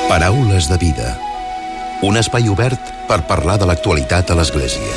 Paraules de vida. Un espai obert per parlar de l'actualitat a l'Església.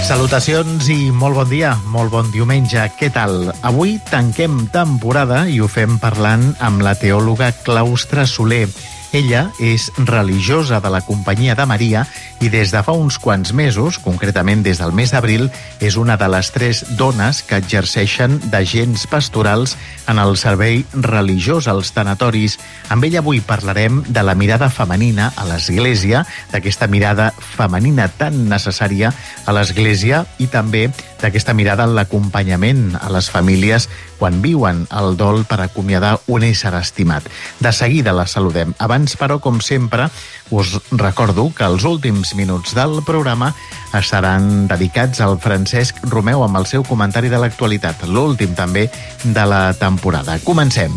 Salutacions i molt bon dia, molt bon diumenge. Què tal? Avui tanquem temporada i ho fem parlant amb la teòloga Claustra Soler. Ella és religiosa de la Companyia de Maria i des de fa uns quants mesos, concretament des del mes d'abril, és una de les 3 dones que exerceixen d'agents pastorals en el servei religiós als tanatoris. Amb ella avui parlarem de la mirada femenina a l'Església, d'aquesta mirada femenina tan necessària a l'Església i també d'aquesta mirada en l'acompanyament a les famílies quan viuen el dol per acomiadar un ésser estimat. De seguida la saludem. Abans, però, com sempre, us recordo que els últims minuts del programa estaran dedicats al Francesc Romeu amb el seu comentari de l'actualitat, l'últim també de la temporada. Comencem.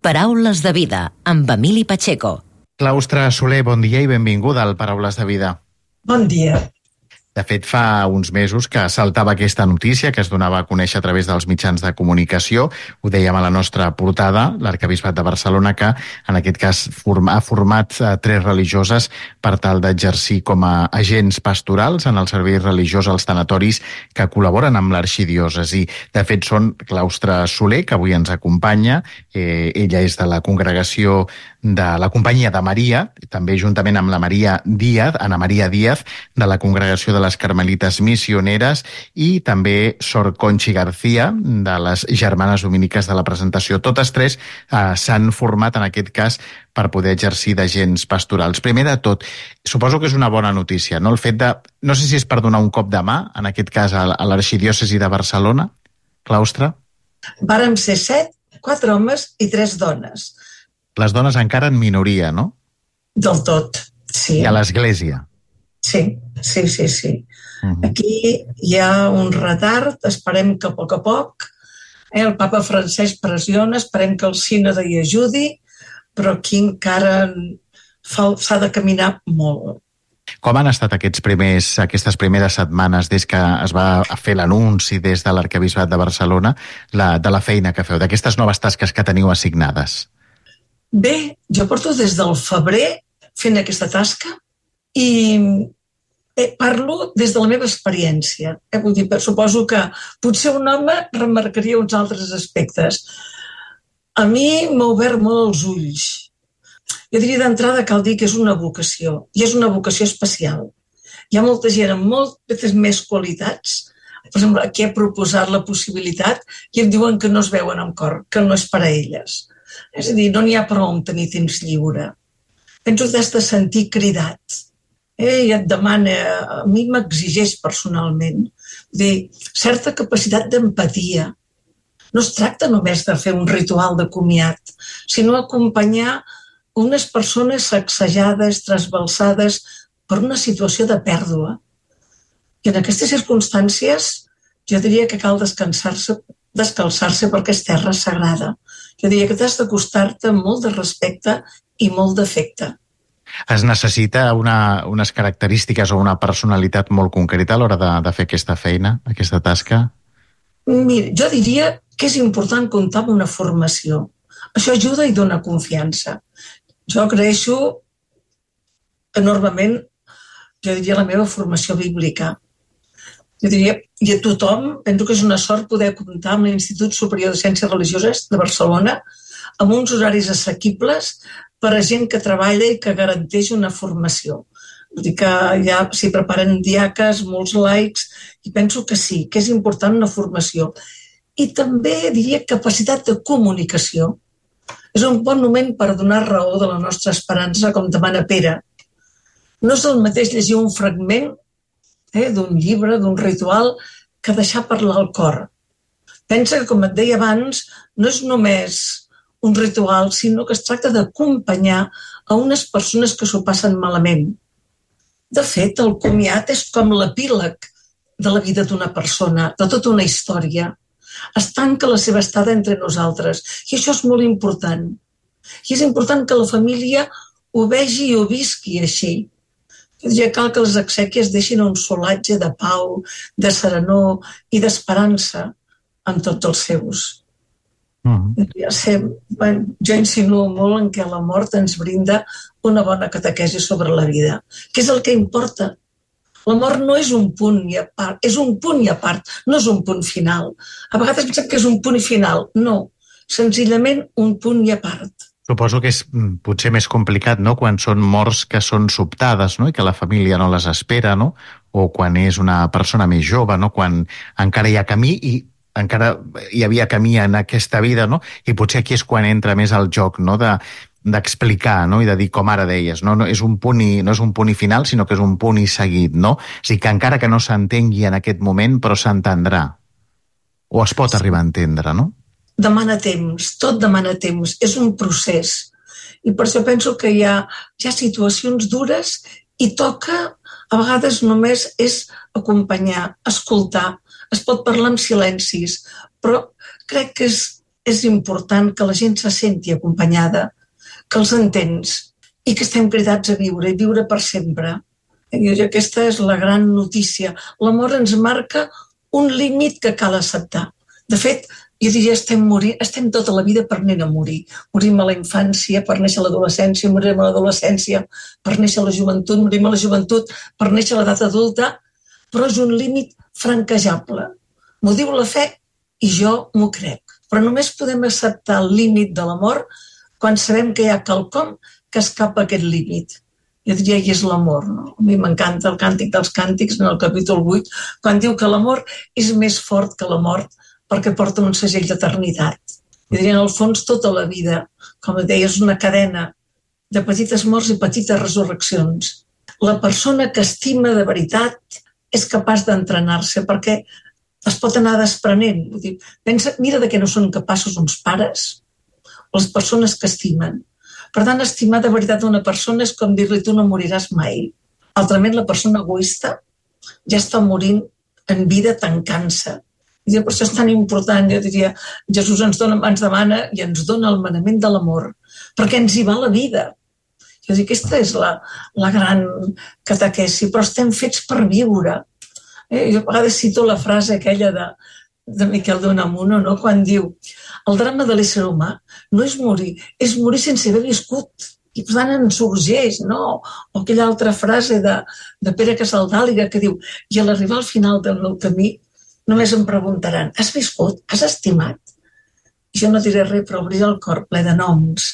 Paraules de vida, amb Emili Pacheco. Claustra Soler, bon dia i benvinguda al Paraules de vida. Bon dia. De fet, fa uns mesos que saltava aquesta notícia que es donava a conèixer a través dels mitjans de comunicació. Ho dèiem a la nostra portada, l'Arquebisbat de Barcelona, que en aquest cas ha format 3 religioses per tal d'exercir com a agents pastorals en el servei religiós als tanatoris que col·laboren amb l'arxidiòcesi. De fet, són Claustra Soler, que avui ens acompanya. Ella és de la congregació de la Companyia de Maria, també juntament amb la Ana Maria Díaz, de la congregació de les Carmelites Missioneres, i també Sor Conchi García, de les Germanes Dominiques de la Presentació. Totes 3 s'han format, en aquest cas, per poder exercir d'agents pastorals. Primer de tot, suposo que és una bona notícia, no? El fet de, no sé si és per donar un cop de mà, en aquest cas a l'arxidiòcesi de Barcelona, Claustra? Vàrem ser 7, 4 homes i 3 dones. Les dones encara en minoria, no? Del tot, sí. I a l'Església. Sí. Aquí hi ha un retard, esperem que a poc, el papa Francesc pressiona, esperem que el sínode hi ajudi, però aquí encara s'ha de caminar molt. Com han estat aquestes primeres setmanes des que es va fer l'anunci des de l'Arquebisbat de Barcelona de la feina que feu, d'aquestes noves tasques que teniu assignades? Bé, jo porto des del febrer fent aquesta tasca i parlo des de la meva experiència. Vull dir, suposo que potser un home remarcaria uns altres aspectes. A mi m'ha obert molt els ulls. Jo diria d'entrada cal dir que és una vocació, i és una vocació especial. Hi ha molta gent amb moltes més qualitats. Per exemple, aquí he proposat la possibilitat i em diuen que no es veuen amb cor, que no és per a elles. És a dir, no n'hi ha prou amb tenir temps lliure. Penso que has de sentir cridat. I et demana, a mi m'exigeix personalment, dir, certa capacitat d'empatia. No es tracta només de fer un ritual de comiat, sinó acompanyar unes persones sacsejades, trasbalsades per una situació de pèrdua. I en aquestes circumstàncies jo diria que cal descalçar-se perquè és terra sagrada. Jo diria que t'has d'acostar-te amb molt de respecte i molt d'afecte. Es necessita unes característiques o una personalitat molt concreta a l'hora de fer aquesta feina, aquesta tasca? Mira, jo diria que és important comptar amb una formació. Això ajuda i dona confiança. Jo agraeixo enormement, jo diria, la meva formació bíblica. Jo diria, i a tothom, penso que és una sort poder comptar amb l'Institut Superior de Ciències Religioses de Barcelona amb uns horaris assequibles per a gent que treballa i que garanteix una formació. Vull dir que ja s'hi preparen diaques, molts laics, i penso que sí, que és important una formació. I també diria capacitat de comunicació. És un bon moment per donar raó de la nostra esperança, com demana Pere. No és el mateix llegir un fragment d'un llibre, d'un ritual, que deixar parlar el cor. Pensa que, com et deia abans, no és només un ritual, sinó que es tracta d'acompanyar a unes persones que s'ho passen malament. De fet, el comiat és com l'epíleg de la vida d'una persona, de tota una història. Es tanca la seva estada entre nosaltres i això és molt important. I és important que la família ho vegi i ho visqui així. Ja cal que les exèquies deixin un solatge de pau, de serenor i d'esperança en tots els seus. Jo insinuo molt en què la mort ens brinda una bona catequesi sobre la vida, que és el que importa. La mort no és un punt i a part, és un punt i a part, no és un punt final. A vegades pensem que és un punt i final. No, senzillament un punt i a part. Suposo que és potser més complicat, no?, quan són morts que són sobtades, no?, i que la família no les espera, no?, o quan és una persona més jove, no?, quan encara hi ha camí i encara hi havia camí en aquesta vida, no?, i potser aquí és quan entra més el joc, no?, d'explicar, no?, i de dir, com ara deies, no és un punt i final, sinó que és un punt i seguit, no? O sigui, que encara que no s'entengui en aquest moment, però s'entendrà. O es pot arribar a entendre, no? Demana temps, tot demana temps, és un procés. I per això penso que hi ha situacions dures i toca, a vegades només és acompanyar, escoltar, es pot parlar amb silencis, però crec que és important que la gent se senti acompanyada, que els entens i que estem cridats a viure i viure per sempre. I aquesta és la gran notícia. L'amor ens marca un límit que cal acceptar. De fet, jo diria, estem tota la vida prenent a morir. Morim a la infància, per néixer a l'adolescència, morim a l'adolescència, per néixer a la joventut, morim a la joventut, per néixer a l'edat adulta, però és un límit franquejable. M'ho diu la fe i jo m'ho crec. Però només podem acceptar el límit de l'amor quan sabem que hi ha quelcom que escapa aquest límit. Jo diria que és l'amor, no? A mi m'encanta el Càntic dels Càntics, en el capítol 8, quan diu que l'amor és més fort que la mort, perquè porta un segell d'eternitat. I diria, en el fons, tota la vida, com deia, és una cadena de petites morts i petites resurreccions. La persona que estima de veritat és capaç d'entrenar-se, perquè es pot anar desprenent. Vull dir, mira de què no són capaços uns pares o les persones que estimen. Per tant, estimar de veritat una persona és com dir-li tu no moriràs mai. Altrament, la persona egoista ja està morint en vida tancant-se. I per això és tan important, jo diria, Jesús ens demana i ens dona el manament de l'amor, perquè ens hi va la vida. Jo dic, aquesta és la gran catequesi, però estem fets per viure. Jo a vegades cito la frase aquella de Miquel d'Unamuno, no? Quan diu, el drama de l'ésser humà no és morir sense haver viscut. I per tant ens urgeix, no? O aquella altra frase de Pere Casaldàliga que diu, i a l'arribar al final del meu camí només em preguntaran, has viscut? Has estimat? I jo no diré res, però obriré el cor ple de noms.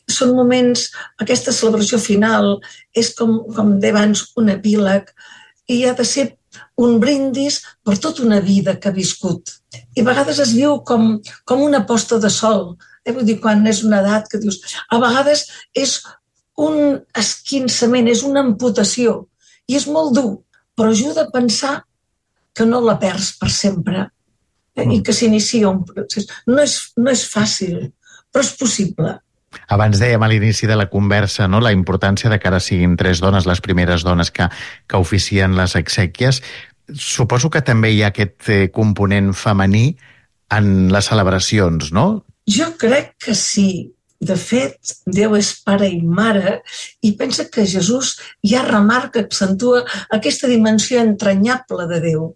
Són moments, aquesta celebració final és com deia abans, un epíleg i ha de ser un brindis per tota una vida que ha viscut. I a vegades es viu com una posta de sol. Vull dir, quan és una edat que dius... A vegades és un esquinçament, és una amputació i és molt dur, però ajuda a pensar que no la perds per sempre i que s'inicia un procés. No és fàcil, però és possible. Abans dèiem a l'inici de la conversa, no?, la importància de que ara siguin 3 dones, les primeres dones que oficien les exèquies. Suposo que també hi ha aquest component femení en les celebracions, no? Jo crec que sí. De fet, Déu és pare i mare i pensa que Jesús ja remarca, accentua aquesta dimensió entranyable de Déu.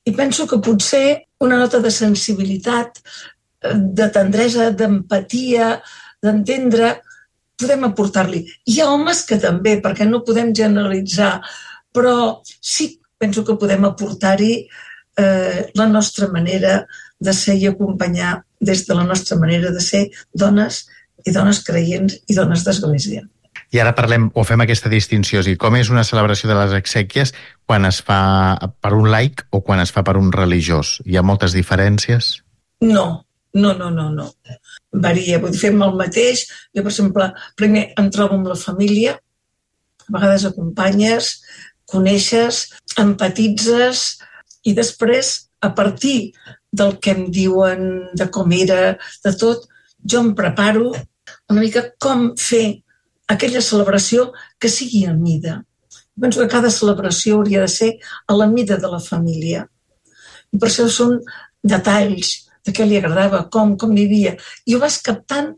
I penso que potser una nota de sensibilitat, de tendresa, d'empatia, d'entendre, podem aportar-li. Hi ha homes que també, perquè no podem generalitzar, però sí penso que podem aportar-hi la nostra manera de ser i acompanyar des de la nostra manera de ser dones i dones creients i dones d'església. I ara parlem, o fem aquesta distinció, és a dir, com és una celebració de les exèquies quan es fa per un laic o quan es fa per un religiós? Hi ha moltes diferències? No. Varia, vull dir, fem el mateix. Jo, per exemple, primer em trobo amb la família, a vegades acompanyes, coneixes, empatitzes i després, a partir del que em diuen, de com era, de tot, jo em preparo una mica com fer aquella celebració que sigui a mida. Penso que cada celebració hauria de ser a la mida de la família. I per això són detalls de què li agradava, com vivia. I ho vas captant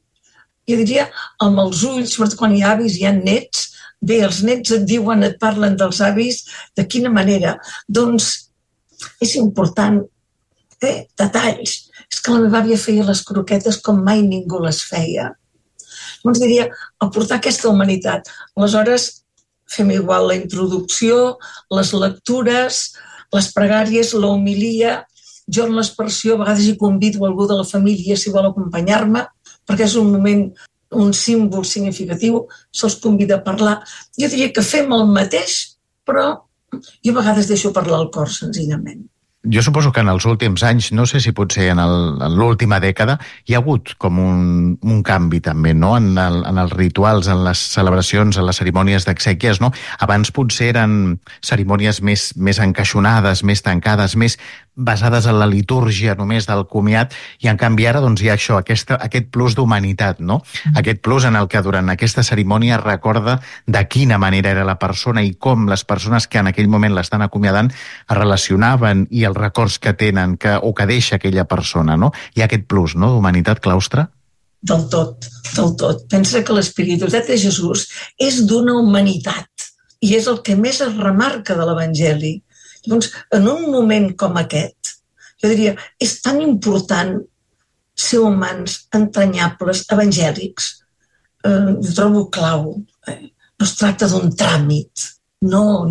jo diria, amb els ulls, sobretot quan hi ha avis, hi ha nets, bé, els nets et diuen, et parlen dels avis, de quina manera? Doncs és important, detalls. És que la meva àvia feia les croquetes com mai ningú les feia. Llavors diria, aportar aquesta humanitat. Aleshores, fem igual la introducció, les lectures, les pregàries, la homilia. Jo en l'expressió a vegades hi convido algú de la família si vol acompanyar-me, perquè és un moment, un símbol significatiu, se'ls convida a parlar. Jo diria que fem el mateix, però jo a vegades deixo parlar el cor, senzillament. Jo suposo que en els últims anys, no sé si potser en l'última dècada, hi ha hagut com un canvi també, no? En els rituals, en les celebracions, en les cerimònies d'exèquies, no? Abans potser eren cerimònies més encaixonades, més tancades, més basades en la litúrgia només del comiat, i en canvi ara doncs, hi ha això, aquest plus d'humanitat, no? Aquest plus en el que durant aquesta cerimònia recorda de quina manera era la persona i com les persones que en aquell moment l'estan acomiadant es relacionaven i els records que tenen o que deixa aquella persona, no? Hi ha aquest plus, no?, d'humanitat, Claustre? Del tot, del tot. Pensa que l'espiritualitat de Jesús és d'una humanitat i és el que més es remarca de l'Evangeli. Llavors, en un moment com aquest, jo diria, és tan important ser humans, entranyables, evangèlics. Jo trobo clau. No es tracta d'un tràmit. No.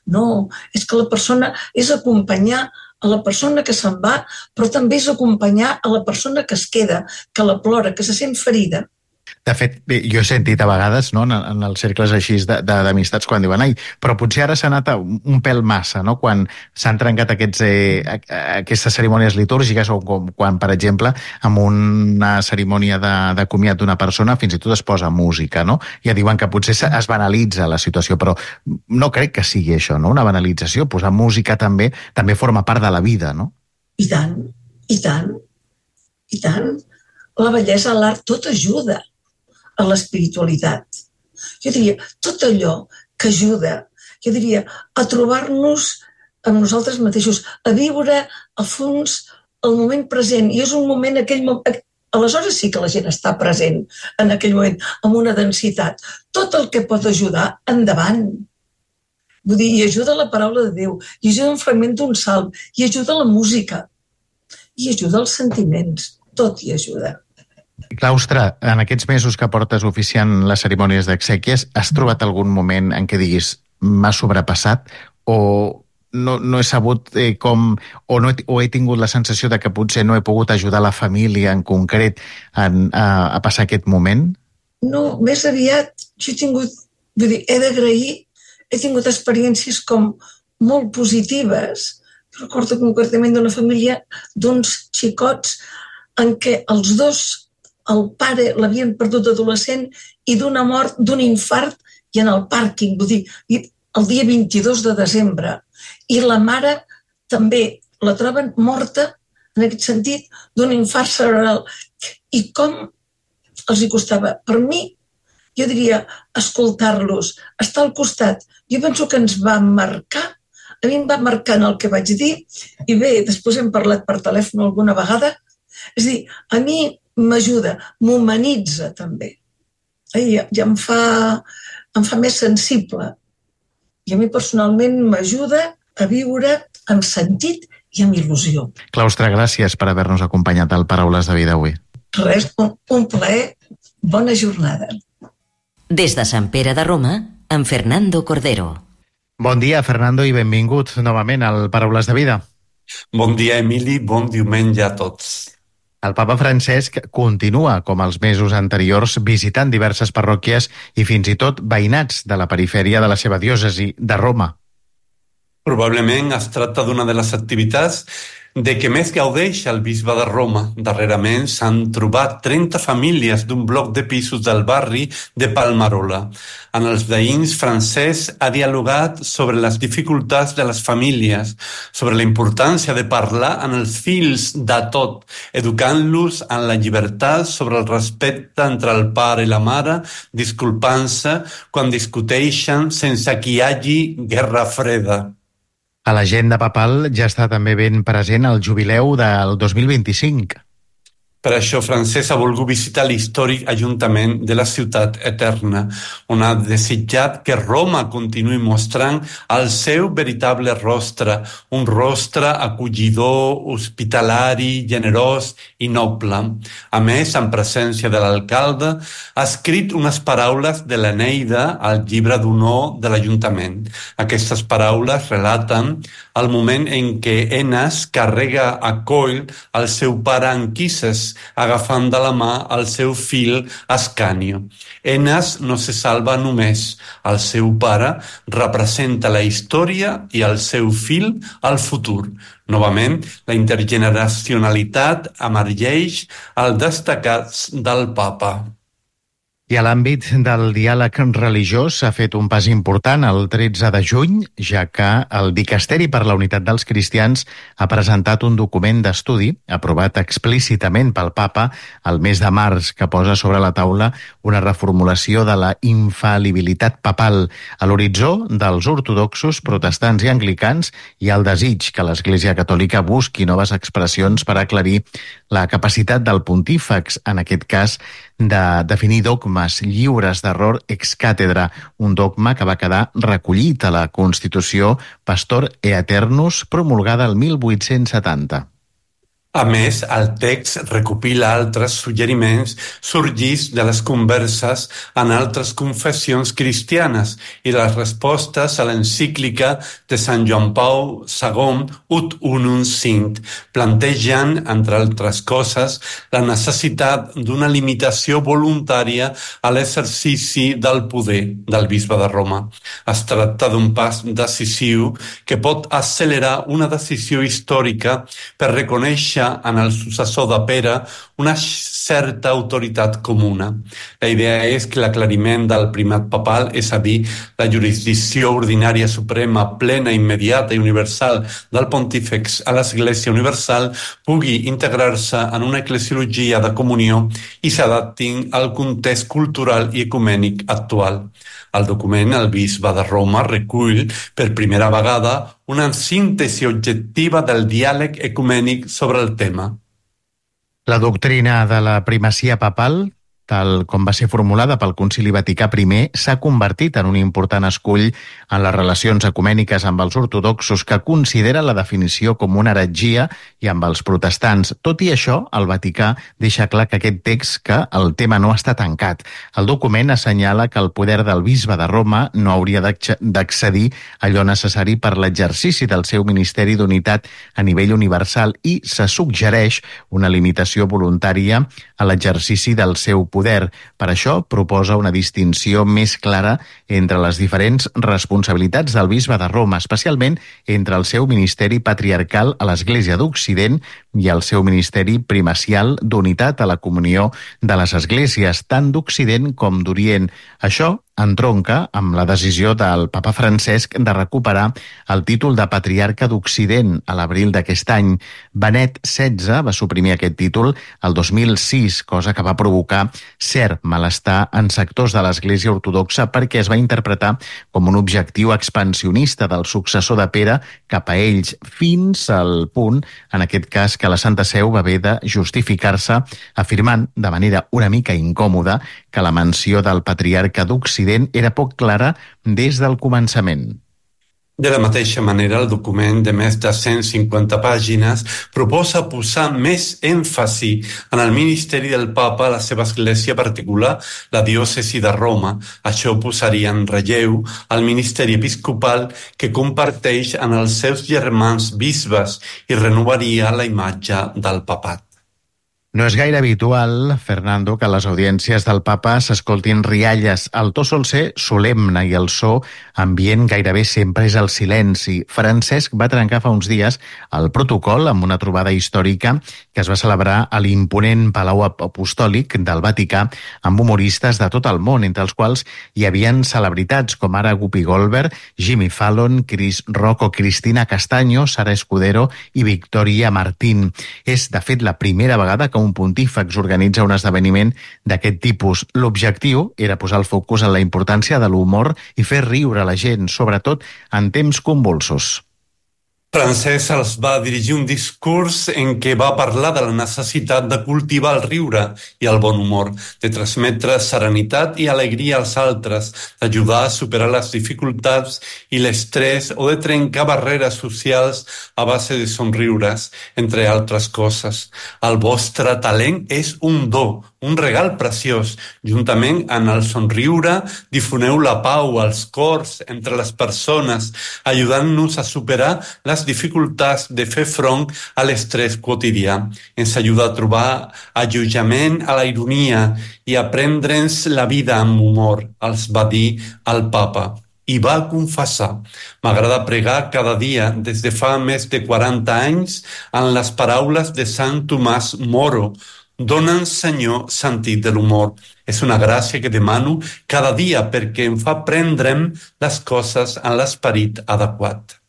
No, és que la persona és acompanyar a la persona que se'n va, però també és acompanyar a la persona que es queda, que la plora, que se sent ferida. De fet, jo he sentit a vegades, no, en els cercles així d'amistats quan diuen però potser ara s'ha anat un pèl massa, no? Quan s'han trencat aquestes cerimònies litúrgiques o quan, per exemple, en una cerimònia de comiat d'una persona fins i tot es posa música, no? Ja diuen que potser es banalitza la situació, però no crec que sigui això, no? Una banalització. Posar música també forma part de la vida, no? I tant, i tant, i tant. La bellesa, l'art, tot ajuda a l'espiritualitat. Jo diria, tot allò que ajuda, jo diria, a trobar-nos amb nosaltres mateixos, a viure a fons el moment present. I és un moment, aleshores sí que la gent està present en aquell moment, amb una densitat. Tot el que pot ajudar, endavant. Vull dir, i ajuda la paraula de Déu, i ajuda un fragment d'un salm, i ajuda la música, i ajuda els sentiments. Tot hi ajuda. Claustre, en aquests mesos que portes oficiant les cerimònies d'exèquies, has trobat algun moment en què diguis m'ha sobrepassat o no he sabut com o he tingut la sensació de que potser no he pogut ajudar la família en concret a passar aquest moment? No, més aviat jo he d'agrair, he tingut experiències com molt positives. Recordo concretament d'una família d'uns xicots en què els dos, el pare l'havien perdut adolescent i d'una mort, d'un infart, i en el pàrquing, vull dir, el dia 22 de desembre. I la mare també la troben morta, en aquest sentit, d'un infart cerebral. I com els hi costava? Per mi, jo diria, escoltar-los, estar al costat. Jo penso que ens va marcar, a mi em va marcar en el que vaig dir, i bé, després hem parlat per telèfon alguna vegada. És a dir, a mi m'ajuda, m'humanitza també. Ja em fa més sensible. I a mi personalment m'ajuda a viure amb sentit i amb il·lusió. Claustre, gràcies per haver-nos acompanyat al Paraules de Vida avui. Res, un plaer. Bona jornada. Des de Sant Pere de Roma, amb Fernando Cordero. Bon dia, Fernando, i benvingut novament al Paraules de Vida. Bon dia, Emili, bon diumenge a tots. El papa Francesc continua, com els mesos anteriors, visitant diverses parròquies i fins i tot veïnats de la perifèria de la seva diòcesi, de Roma. Probablement es tracta d'una de les activitats de què més gaudeix el bisbe de Roma. Darrerament s'han trobat 30 famílies d'un bloc de pisos del barri de Palmarola. En els veïns, Francesc ha dialogat sobre les dificultats de les famílies, sobre la importància de parlar amb els fills de tot, educant-los en la llibertat, sobre el respecte entre el pare i la mare, disculpant-se quan discuteixen sense que hi hagi guerra freda. A l'agenda papal ja està també ben present el jubileu del 2025. Per això, Francesc ha volgut visitar l'històric Ajuntament de la Ciutat Eterna, on ha desitjat que Roma continuï mostrant el seu veritable rostre, un rostre acollidor, hospitalari, generós i noble. A més, en presència de l'alcalde, ha escrit unes paraules de l'Eneida al llibre d'honor de l'Ajuntament. Aquestes paraules relaten el moment en què Enes carrega a coll el seu pare Anquises, agafant de la mà el seu fill Ascanio. Enes no se salva només. El seu pare representa la història i el seu fill el futur. Novament, la intergeneracionalitat emergeix al destacat del papa. I a l'àmbit del diàleg religiós s'ha fet un pas important el 13 de juny, ja que el Dicasteri per la Unitat dels Cristians ha presentat un document d'estudi aprovat explícitament pel Papa el mes de març, que posa sobre la taula una reformulació de la infal·libilitat papal a l'horitzó dels ortodoxos, protestants i anglicans, i el desig que l'Església Catòlica busqui noves expressions per aclarir la capacitat del pontífex, en aquest cas, de definir dogmes lliures d'error ex càtedra, un dogma que va quedar recollit a la Constitució Pastor Aeternus, promulgada el 1870. A més, el text recopila altres suggeriments sorgits de les converses en altres confessions cristianes i les respostes a l'encíclica de Sant Joan Pau II, Ut Unum Sint, plantejant, entre altres coses, la necessitat d'una limitació voluntària a l'exercici del poder del bisbe de Roma. Es tracta d'un pas decisiu que pot accelerar una decisió històrica per reconèixer en el successor de Pere una certa autoritat comuna. La idea és que l'aclariment del primat papal, és a dir, la jurisdicció ordinària suprema, plena, immediata i universal del pontífex a l'Església Universal, pugui integrar-se en una eclesiologia de comunió i s'adaptin al context cultural i ecumènic actual. El document, el bisbe de Roma recull per primera vegada una síntesi objectiva del diàleg ecumènic sobre el tema. La doctrina de la primacia papal, tal com va ser formulada pel Concili Vaticà I, s'ha convertit en un important escull en les relacions ecumèniques amb els ortodoxos, que considera la definició com una heretgia, i amb els protestants. Tot i això, el Vaticà deixa clar que aquest text, que el tema no està tancat. El document assenyala que el poder del bisbe de Roma no hauria d'excedir allò necessari per l'exercici del seu ministeri d'unitat a nivell universal, i se suggereix una limitació voluntària a l'exercici del seu poder. Per això proposa una distinció més clara entre les diferents responsabilitats del bisbe de Roma, especialment entre el seu ministeri patriarcal a l'Església d'Occident i el seu ministeri primacial d'unitat a la comunió de les esglésies, tant d'Occident com d'Orient. Això entronca amb la decisió del papa Francesc de recuperar el títol de patriarca d'Occident a l'abril d'aquest any. Benet XVI va suprimir aquest títol el 2006, cosa que va provocar cert malestar en sectors de l'Església Ortodoxa, perquè es va interpretar com un objectiu expansionista del successor de Pere cap a ells, fins al punt, en aquest cas, que la Santa Seu va haver de justificar-se afirmant de manera una mica incòmoda que la menció del patriarca d'Occident era poc clara des del començament. De la mateixa manera, el document de més de 150 pàgines proposa posar més èmfasi en el ministeri del papa a la seva església particular, la diòcesi de Roma. Això posaria en relleu el ministeri episcopal que comparteix en els seus germans bisbes i renovaria la imatge del papat. No és gaire habitual, Fernando, que a les audiències del papa s'escoltin rialles. El to sol ser solemne i el so ambient gairebé sempre és el silenci. Francesc va trencar fa uns dies el protocol amb una trobada històrica que es va celebrar a l'imponent Palau Apostòlic del Vaticà amb humoristes de tot el món, entre els quals hi havien celebritats com ara Guppy Goldberg, Jimmy Fallon, Chris Rock o Cristina Castaño, Sara Escudero i Victoria Martín. És, de fet, la primera vegada que un pontífex organitza un esdeveniment d'aquest tipus. L'objectiu era posar el focus en la importància de l'humor i fer riure la gent, sobretot en temps convulsos. Francesc els va dirigir un discurs en què va parlar de la necessitat de cultivar el riure i el bon humor, de transmetre serenitat i alegria als altres, d'ajudar a superar les dificultats i l'estrès o de trencar barreres socials a base de somriures, entre altres coses. El vostre talent és un do, un regal preciós. Juntament amb el somriure, difoneu la pau als cors entre les persones, ajudant-nos a superar les dificultats de fer front a l'estrès quotidià. Ens ajuda a trobar allotjament a la ironia i a prendre'ns la vida amb humor, els va dir el papa. I va confessar: m'agrada pregar cada dia des de fa més de 40 anys en les paraules de Sant Tomàs Moro. Dona'ns, Senyor, sentit de l'humor. És una gràcia que demano cada dia perquè em fa prendre'm les coses en l'esperit adequat.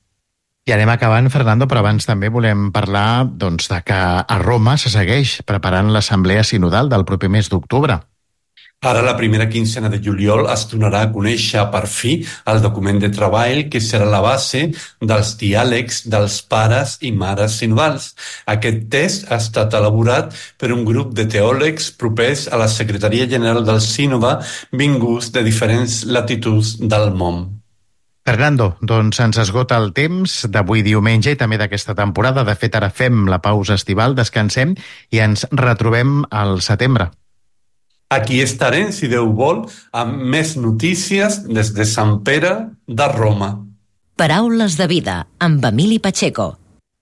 I anem acabant, Fernando, però abans també volem parlar de que a Roma se segueix preparant l'assemblea sinodal del proper mes d'octubre. Ara, la primera quincena de juliol, es donarà a conèixer per fi el document de treball que serà la base dels diàlegs dels pares i mares sinodals. Aquest text ha estat elaborat per un grup de teòlegs propers a la Secretaria General del Sínode, vinguts de diferents latituds del món. Fernando, doncs ens esgota el temps d'avui diumenge i també d'aquesta temporada. De fet, ara fem la pausa estival, descansem i ens retrobem al setembre. Aquí estarem, si Déu vol, amb més notícies des de Sant Pere de Roma. Paraules de vida, amb Emili Pacheco.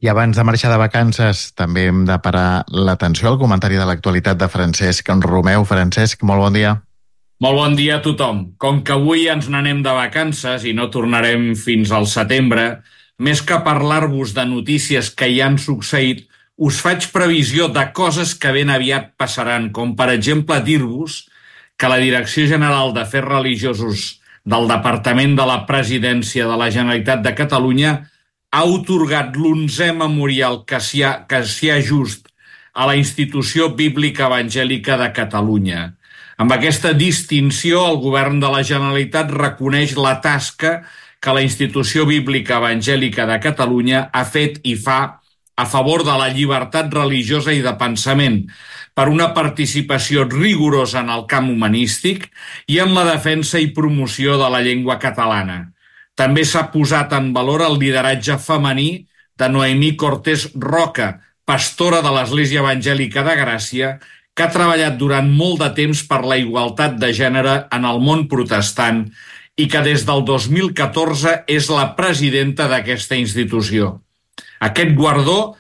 I abans de marxar de vacances també hem de parar l'atenció al comentari de l'actualitat de Francesc Romeu. Francesc, molt bon dia. Molt bon dia a tothom. Com que avui ens n'anem de vacances i no tornarem fins al setembre, més que parlar-vos de notícies que ja han succeït, us faig previsió de coses que ben aviat passaran, com per exemple dir-vos que la Direcció General d'Afers Religiosos del Departament de la Presidència de la Generalitat de Catalunya ha atorgat l'11è memorial Cassià Just a la Institució Bíblica Evangèlica de Catalunya. Amb aquesta distinció, el Govern de la Generalitat reconeix la tasca que la Institució Bíblica Evangèlica de Catalunya ha fet i fa a favor de la llibertat religiosa i de pensament, per una participació rigorosa en el camp humanístic i en la defensa i promoció de la llengua catalana. També s'ha posat en valor el lideratge femení de Noemí Cortés Roca, pastora de l'Església Evangèlica de Gràcia, que ha treballat durant molt de temps per la igualtat de gènere en el món protestant i que des del 2014 és la presidenta d'aquesta institució. Aquest guardó,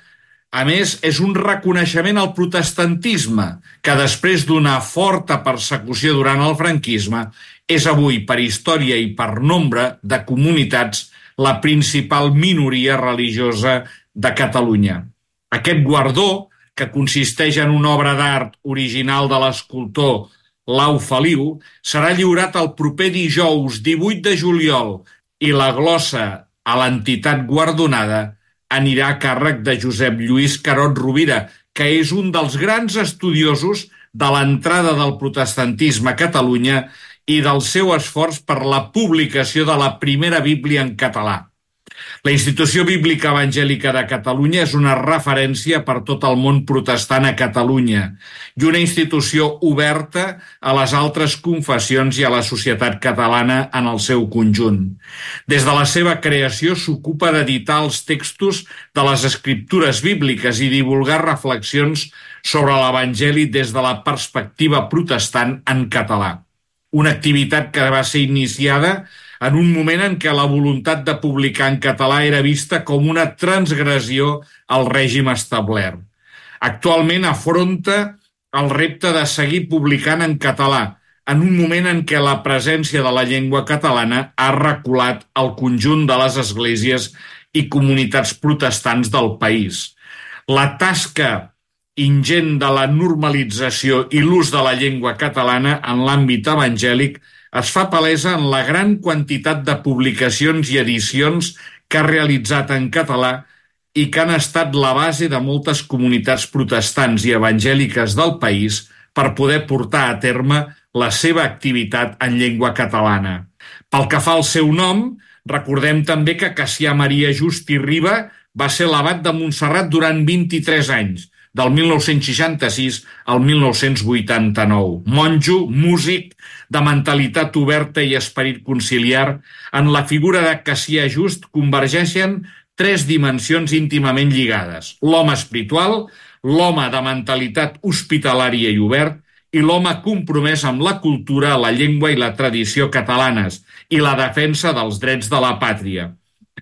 a més, és un reconeixement al protestantisme, que després d'una forta persecució durant el franquisme, és avui, per història i per nombre de comunitats, la principal minoria religiosa de Catalunya. Aquest guardó, que consisteix en una obra d'art original de l'escultor Lau Feliu, serà lliurat el proper dijous 18 de juliol i la glossa a l'entitat guardonada anirà a càrrec de Josep Lluís Carot Rovira, que és un dels grans estudiosos de l'entrada del protestantisme a Catalunya i del seu esforç per la publicació de la primera Bíblia en català. La Institució Bíblica Evangèlica de Catalunya és una referència per tot el món protestant a Catalunya i una institució oberta a les altres confessions i a la societat catalana en el seu conjunt. Des de la seva creació s'ocupa d'editar els textos de les escriptures bíbliques i divulgar reflexions sobre l'Evangeli des de la perspectiva protestant en català. Una activitat que va ser iniciada en un moment en què la voluntat de publicar en català era vista com una transgressió al règim establert. Actualment afronta el repte de seguir publicant en català, en un moment en què la presència de la llengua catalana ha reculat al conjunt de les esglésies i comunitats protestants del país. La tasca ingent de la normalització i l'ús de la llengua catalana en l'àmbit evangèlic es fa palesa en la gran quantitat de publicacions i edicions que ha realitzat en català i que han estat la base de moltes comunitats protestants i evangèliques del país per poder portar a terme la seva activitat en llengua catalana. Pel que fa al seu nom, recordem també que Cassià Maria Just i Riba va ser l'abat de Montserrat durant 23 anys, del 1966 al 1989. Monjo, músic, de mentalitat oberta i esperit conciliar, en la figura de Cassià Just convergeixen 3 dimensions íntimament lligades: l'home espiritual, l'home de mentalitat hospitalària i obert i l'home compromès amb la cultura, la llengua i la tradició catalanes i la defensa dels drets de la pàtria.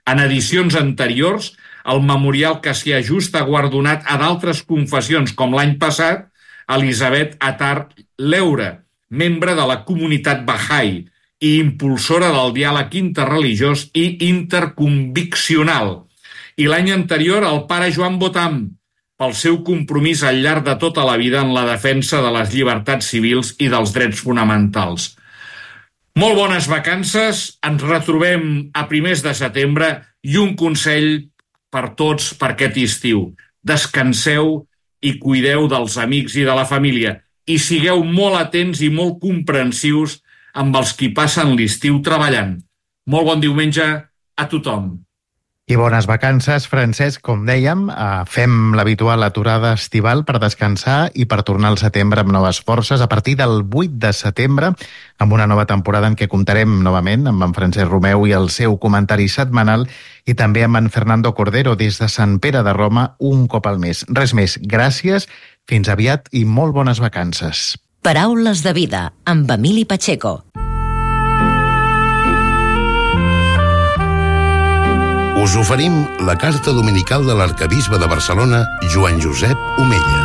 En edicions anteriors, el Memorial Cassià Just ha guardonat a d'altres confessions, com l'any passat, Elisabet Attar Leura, membre de la comunitat Bahá'í i impulsora del diàleg interreligiós i interconviccional. I l'any anterior, el pare Joan Botam, pel seu compromís al llarg de tota la vida en la defensa de les llibertats civils i dels drets fonamentals. Molt bones vacances, ens retrobem a primers de setembre i un consell per tots per aquest estiu. Descanseu i cuideu dels amics i de la família i sigueu molt atents i molt comprensius amb els qui passen l'estiu treballant. Molt bon diumenge a tothom. I bones vacances, Francesc. Com dèiem, fem l'habitual aturada estival per descansar i per tornar al setembre amb noves forces a partir del 8 de setembre, amb una nova temporada en què comptarem novament amb en Francesc Romeu i el seu comentari setmanal i també amb en Fernando Cordero des de Sant Pere de Roma un cop al mes. Res més, gràcies, fins aviat i molt bones vacances. Paraules de vida, amb Emili Pacheco. Us oferim la carta dominical de l'arquebisbe de Barcelona, Joan Josep Omella.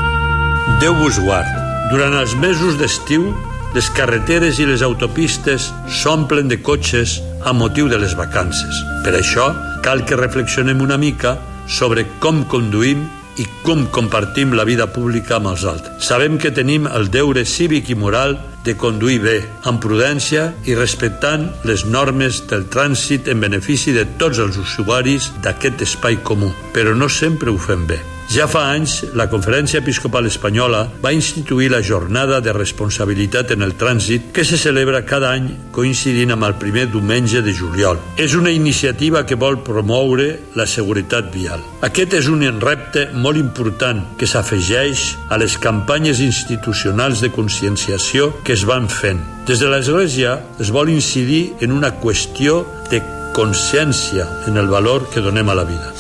Déu vos guard. Durant els mesos d'estiu, les carreteres i les autopistes s'omplen de cotxes a motiu de les vacances. Per això, cal que reflexionem una mica sobre com conduïm i com compartim la vida pública amb els altres. Sabem que tenim el deure cívic i moral de conduir bé, amb prudència i respectant les normes del trànsit en benefici de tots els usuaris d'aquest espai comú, però no sempre ho fem bé. Ja fa anys, la Conferència Episcopal Espanyola va instituir la Jornada de Responsabilitat en el Trànsit que se celebra cada any coincidint amb el primer diumenge de juliol. És una iniciativa que vol promoure la seguretat vial. Aquest és un repte molt important que s'afegeix a les campanyes institucionals de conscienciació que es van fent. Des de l'Església es vol incidir en una qüestió de consciència en el valor que donem a la vida.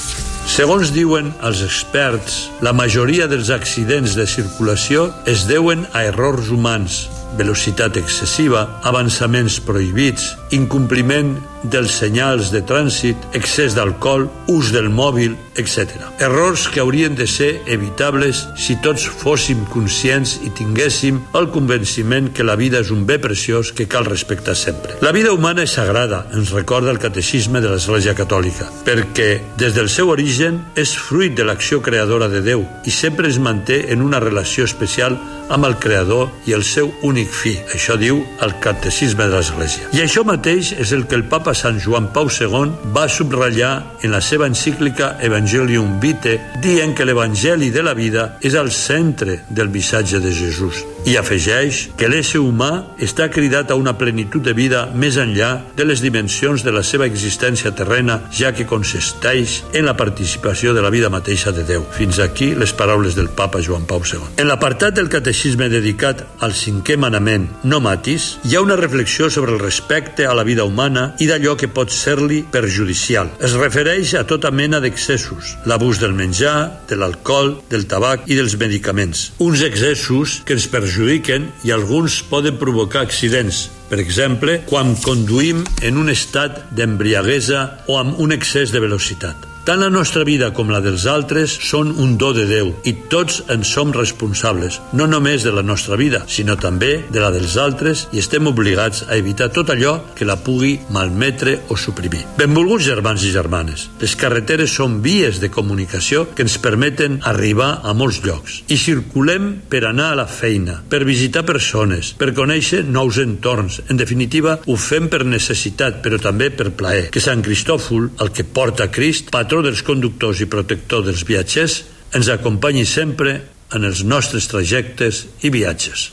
Segons diuen els experts, la majoria dels accidents de circulació es deuen a errors humans, velocitat excessiva, avançaments prohibits, incompliment dels senyals de trànsit, excés d'alcohol, ús del mòbil, etc. Errors que haurien de ser evitables si tots fóssim conscients i tinguéssim el convenciment que la vida és un bé preciós que cal respectar sempre. La vida humana és sagrada, ens recorda el catecisme de l'Església Catòlica, perquè des del seu origen és fruit de l'acció creadora de Déu i sempre es manté en una relació especial amb el Creador i el seu únic fi. Això diu el catecisme de l'Església. I això mateix és el que el Papa Sant Joan Pau II va subratllar en la seva encíclica Evangelium Vitae, dient que l'Evangeli de la vida és al centre del missatge de Jesús. I afegeix que l'ésser humà està cridat a una plenitud de vida més enllà de les dimensions de la seva existència terrena, ja que consisteix en la participació de la vida mateixa de Déu. Fins aquí les paraules del Papa Joan Pau II. En l'apartat del catecisme dedicat al 5è manament, no matis, hi ha una reflexió sobre el respecte a la vida humana i d'allò que pot ser-li perjudicial. Es refereix a tota mena d'excessos, l'abús del menjar, de l'alcohol, del tabac i dels medicaments. Uns excessos que ens perjudiquen i alguns poden provocar accidents. Per exemple, quan conduïm en un estat d'embriaguesa o amb un excés de velocitat. Tant la nostra vida com la dels altres són un do de Déu i tots en som responsables, no només de la nostra vida, sinó també de la dels altres, i estem obligats a evitar tot allò que la pugui malmetre o suprimir. Benvolguts germans i germanes, les carreteres són vies de comunicació que ens permeten arribar a molts llocs i circulem per anar a la feina, per visitar persones, per conèixer nous entorns. En definitiva, ho fem per necessitat, però també per plaer. Que Sant Cristòfol, el que porta Crist, patró dels conductors i protector dels viatgers, ens acompanyi sempre en els nostres trajectes i viatges.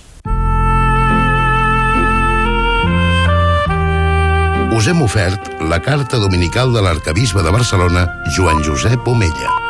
us hem ofert la carta dominical de l'arcabisbe de Barcelona, Joan Josep Omella.